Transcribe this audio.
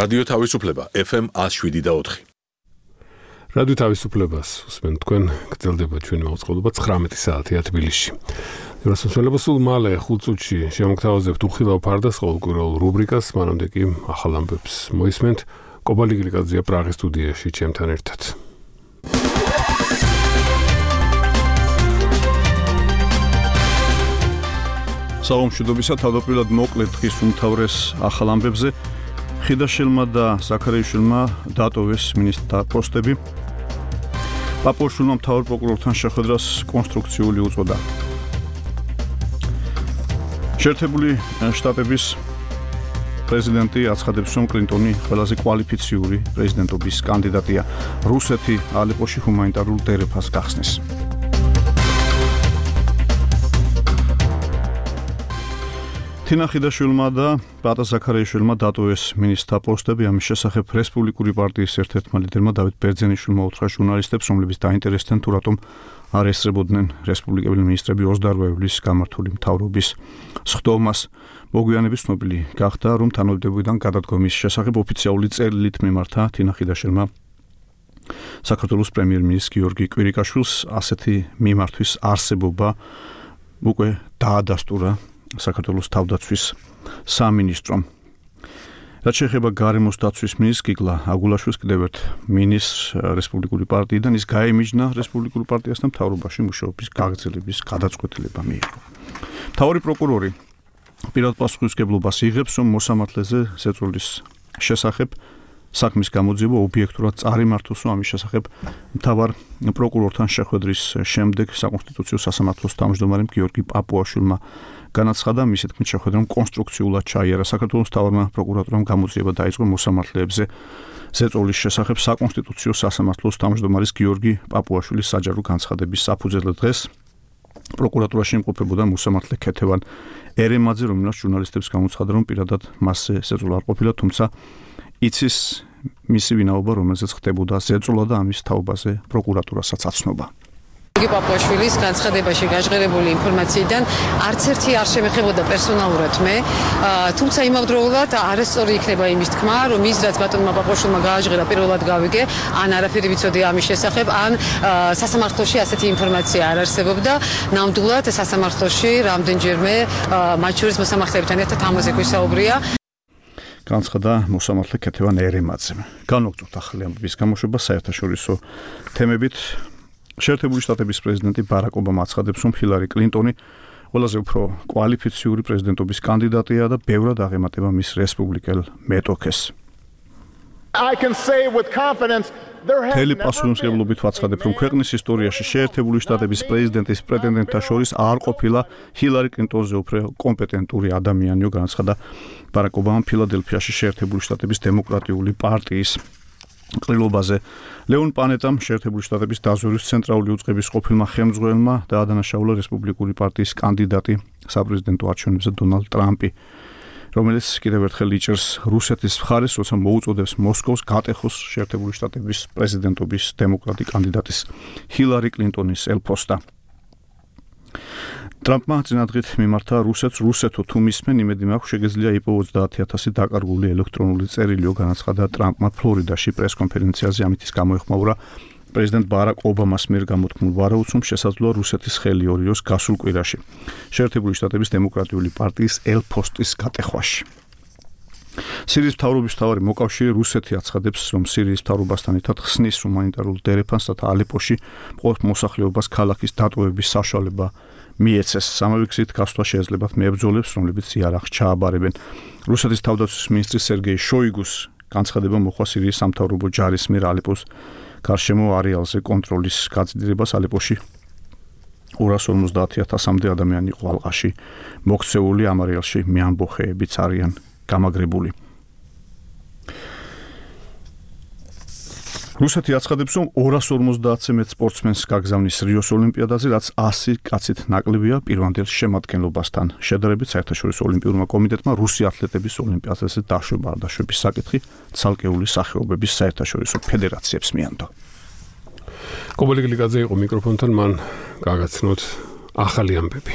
რადიო თავისუფლება FM 107.4. რადიო თავისუფლებას უსმენთ თქვენ, გრძელდება ჩვენი მოწყობილობა 19 საათია თბილისში. რასამსვლელობა სულ მალე 5 წუთში შემოგთავაზებთ უხილავ ფარდას ყოველკვირეულ რუბრიკას, მანამდე კი ახალ ამბებს მოისმენთ. კობალი გლიკაძეა პრაღის სტუდიაში ჩემთან ერთად. საომშვიდობისა თავდაპირველად მოკლედ დღის უმთავრეს ახალ ამბებზე ხიდაშვილმა და ზაქარიაშვილმა დატოვეს მინისტრთა პოსტები. პაპუაშვილმა მთავარ პროკურორთან შეხვედრას კონსტრუქციული უწოდა. შეერთებული შტატების პრეზიდენტი აცხადებს, რომ კლინტონი ყველაზე კვალიფიციური პრეზიდენტობის კანდიდატია. რუსეთი ალეპოში ჰუმანიტარულ დერეფას გახსნის. თინა ხიდაშვილმა და ბატა ზაქარიაშვილმა დატოვეს მინისტრთა პოსტები. ამის შესახებ რესპუბლიკური პარტიის ერთ-ერთმა ლიდერმა დავით ბერძენიშვილმა უთხრა ჟურნალისტებს, რომლებიც დაინტერესდნენ თუ რატომ არ ესწრებოდნენ რესპუბლიკელი მინისტრები 28 ივლისს გამართული მთავრობის სხდომას. მოგვიანებით ცნობილი გახდა, რომ თანამდებობიდან გადადგომის შესახებ ოფიციალური წერილით მიმართა თინა ხიდაშვილმა საქართველოს პრემიერ-მინისტრ გიორგი კვირიკაშვილს. ასეთი მიმართვის არსებობა უკვე დაადასტურა საქართველოს თავდაცვის სამინისტრომ. რაც შეეხება გარემოს დაცვის მინისტრს გიგლა აგულაშვილს კიდევ ერთ მინისტრს რესპუბლიკური პარტიიდან ის გაემიჯნა რესპუბლიკურ პარტიასთან მთავრობაში მუშაობის გაგრძელების გადაწყვეტილება მიიღო. მთავარი პროკურორი პირად პასუხისმგებლობას იღებს, რომ მოსამართლეზე ზეწოლის შესახებ საქმის გამოძიება ობიექტურად წარიმართოს, რომ ამის შესახებ მთავარ პროკურორთან შეხვედრის შემდეგ საკონსტიტუციო სასამართლოს თავმჯდომარემ გიორგი პაპუაშვილმა განაცხადა, მისი თქმით შეხვედრამ კონსტრუქციულად ჩაიარა. საქართველოს მთავარმა პროკურატურამ გამოძიება დაიწყო მოსამართლეებზე ზეწოლის შესახებ საკონსტიტუციო სასამართლოს თავმჯდომარის გიორგი პაპუაშვილის საჯარო განცხადების საფუძველზე. დღეს პროკურატურაში იმყოფებოდა მოსამართლე ქეთევან ერემაძე, რომელსაც ჟურნალისტებს გამოცხადა, რომ პირადად მასზე ზეწოლა არ ყოფილა, თუმცა იცის მისი ვინაობა, რომელზეც ხდებოდა ზეწოლა და ამის თაობაზე პროკურატურასაც აცნობა. პაპუაშვილის განცხადებაში გაჟღერებული ინფორმაციიდან არც ერთი არ შემეხებოდა პერსონალურად მე, თუმცა იმავდროულად არასწორი იქნება იმის თქმა, რომ ის რაც ბატონმა პაპუაშვილმა გააჟღერა პირველად გავიგე, ან არაფერი ვიცოდი ამის შესახებ, ან სასამართლოში ასეთი ინფორმაცია არ არსებობდა. ნამდვილად სასამართლოში რამდენჯერმე მათ შორის მოსამართლებთან ერთად ამაზე გვისაუბრია. განცხადა მოსამართლე ქეთევან ერემაძემ. განვაგრძობთ ახალი ამბების გამოშვება საერთაშორისო თემებით. შეერთებული შტატების პრეზიდენტი ბარაკ ობამა აცხადებს, რომ ჰილარი კლინტონი ყველაზე უფრო კვალიფიციური პრეზიდენტობის კანდიდატია და ბევრად აღემატება მის რესპუბლიკელ მეტოქეს. მთელი პასუხისმგებლობით ვაცხადებ, რომ ქვეყნის ისტორიაში შეერთებული შტატების პრეზიდენტის პრეტენდენტთა შორის არ ყოფილა ჰილარი კლინტონზე უფრო კომპეტენტური ადამიანიო, განაცხადა ბარაკ ობამამ ფილადელფიაში შეერთებული შტატების დემოკრატიული პარტიის ყრილობაზე. ლეონ პანეტამ შეერთებული შტატების დაზვერვის ცენტრალური უწყების ყოფილმა ხელმძღვანელმა დაადანაშაულა რესპუბლიკური პარტიის კანდიდატი საპრეზიდენტო არჩევნებზე დონალდ ტრამპი, რომელიც კიდევ ერთხელ იჭერს რუსეთის მხარეს, როცა მოუწოდებს მოსკოვს გატეხოს შეერთებული შტატების პრეზიდენტობის დემოკრატი კანდიდატის ჰილარი კლინტონის ელფოსტა. ტრამპმა წინადღით მიმართა რუსეთს, რუსეთო თუ მისმენ, იმედი მაქვს შეგეძლია იპოვოს 30,000 დაკარგული ელექტრონული წერილიო, განაცხადა ტრამპმა ფლორიდაში პრესკონფერენციაზე. ამით ის გამოეხმაურა პრეზიდენტ ბარაკ ობამას მიერ გამოთქმულ ვარაუდს, რომ შესაძლოა რუსეთის ხელი ორიოს გასულ კვირაში შეერთებული შტატების დემოკრატიული პარტიის ელფოსტის გატეხვაში. სირიის მთავრობის მთავარი მოკავშირე რუსეთი აცხადებს, რომ სირიის მთავრობასთან ერთად ხსნის ჰუმანიტარულ დერეფანს, რათა ალეპოში მყოფ მოსახლეობას ქალაქის დატოვების საშუალება მიეცეს. სამავე გზით გასვლა შეეძლებათ მებრძოლებს, რომლებიც იარაღს ჩააბარებენ. რუსეთის თავდაცვის მინისტრი სერგეი შოიგუს განცხადება მოხდა სირიის სამთავრობო ჯარის მიერ ალეპოს გარშემო არეალზე კონტროლის გაწყვეტილებას. ალეპოში 250,000-მდე ადამიანი იყო ალყაში მოქცეული, ამ არეალში მეამბოხეებიც არიან გამაგრებული. რუსეთი აცხადებს, რომ 250-ზე მეტ სპორტსმენს გაგზავნის რიოს ოლიმპიადაზე, რაც 100 კაცით ნაკლებია პირვანდელ შემადგენლობასთან. შედარებით საერთაშორისო ოლიმპიურმა კომიტეტმა რუსი ათლეტების ოლიმპიადაზე დაშვება არ დაშვების საკითხი ცალკეული სახეობების საერთაშორისო ფედერაციებს მიანდო. კობალი გლიკაძე იყო მიკროფონთან, მან გაგაცნოთ ახალი ამბები.